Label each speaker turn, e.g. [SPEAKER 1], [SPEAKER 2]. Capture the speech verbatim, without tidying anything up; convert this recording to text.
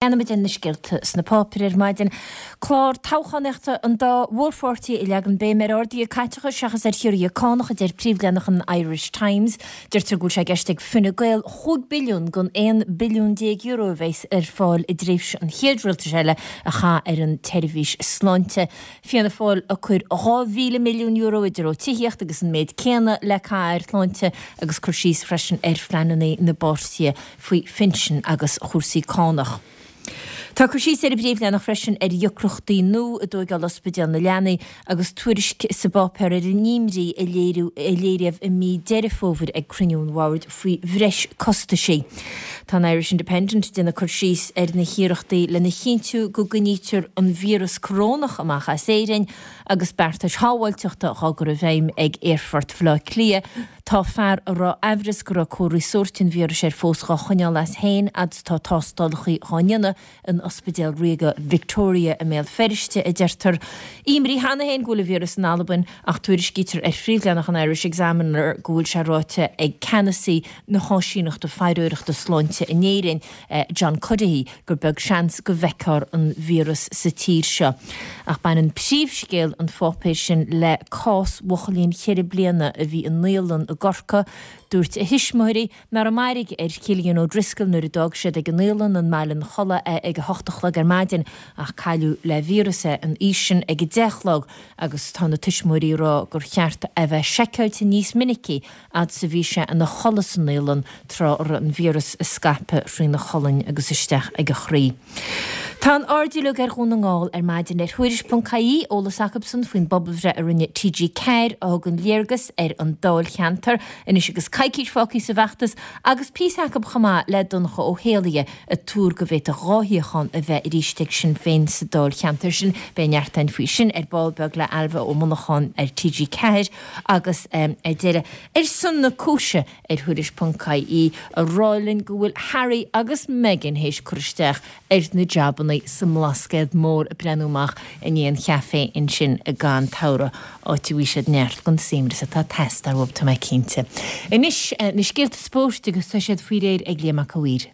[SPEAKER 1] Leanfaimid ar na scéalta sna páipéir ar maidin. Clár toghchánaíochta an dá mhórpháirtí ag leagan béim ar arduithe caiteachais seachas ar chiorruithe cánach, a deir príomhleathanach an Irish Times. Deirtear go bhfuil sé i gceist ag Fine Gael chúig billiún den aon billiún déag euro a bheas ar fáil i dtréimhse an chéad rialtais eile a chaitheamh ar an tseirbhís sláinte. Fianna Fáil ag cur dhá mhíle milliún euro i dtreo tithíocht agus an méid céanna le caitheamh ar shláinte agus cur síos freisin ar phleananna na bpáirtithe faoi phinsin agus chúrsaí cánach. Tá cur síos ar an bpríomhleathanach freisin ar dheacrachtaí nua i dtóigeáil Ospidéal na Leanaí agus tuairisc sa bpáipéar ar an imní a léiríodh i mí Deireadh Fómhair ag cruinniú an bhoird faoi bhreis costaisí. Tá an Irish Independent ag déanamh cur síos ar na hiarrachtaí lena chinntiú go gcoinnítear an víreas corónach amach as Éirinn agus beartais shábháilteachta á gcur i bhfeidhm ag Aerfort Bhaile Átha Cliath. Tá fear a raibh aimhreas go raibh comharthaí sóirt an víris air fós dhá choinneáil as féin fhad is atá tástálacha dhá ndéanamh in Ospidéal Ríoga Victoria i mBéal Feirste, a deirtear. Imní cheana féin go bhfuil an víreas in Albain ach tuairiscítear ar phríomhleathanach an Irish Examiner go bhfuil sé ráite ag ceannasaí na hÁisíneachta Faireoireachta Sláinte in Éirinn, John Cuddihy, gur beag seans go bhfeicfear an víreas sa tír seo. Ach baineann príomhscéal an pháipéir sin le cás bhuachaillín cheithre bliana a bhí i naíolann i gCorcaigh. Dúirt a thuismitheoirí nár mairg ar Chillian O'Driscoll nuair a d'fhág siad ag an naíolann i mBaile an Chollaigh é ag a hocht a chlog ar maidin ach cailleadh le víreas é an oíche sin ag a deich a chlog agus tá na tuismitheoirí ag rá gur cheart é bheith seiceáilte níos minicí fhad is a bhí sé ina chodladh sa naíolann tráth a raibh an víreas ag scaipeadh thrína cholainn agus isteach ag a chroí. Tá an aird uilig ar Dhún na nGall ar maidin ar Thuairisc ponc ie, eolas acubsan faoin bpobalbhreith a rinne T G ceathair a thugann léargas ar an dáilcheantar anois agus coicís fágtha sa bhfeachtas agus píosa acub chomh maith le Donncha Ó hÉallaithe ag tuar go bhféadfadh dhá shuíochán a bheith arís ag Sinn Féin sa dáilcheantar sin. Beidh neart againn faoi sin ar ball beag le Ailbhe Ó Monacháin ar T G ceathair agus ar deireadh Ar son na cúise ar Thuairisc ponc ie ag rá linn go bhfuil Harry agus Meghan théis cur isteach ar na jabannaí sa mBlascaod Mór ag breathnú amach i ndiaidh an chaife ansin i gCann tSamhraidh, áit a bhfaighidh siad neart den suaimhneas atá ag teastáil uathu, tá mé cinnte. Anois, na scéalta spóirt agus tá siad faoi réir ag Liam Mac a' Mhaoir.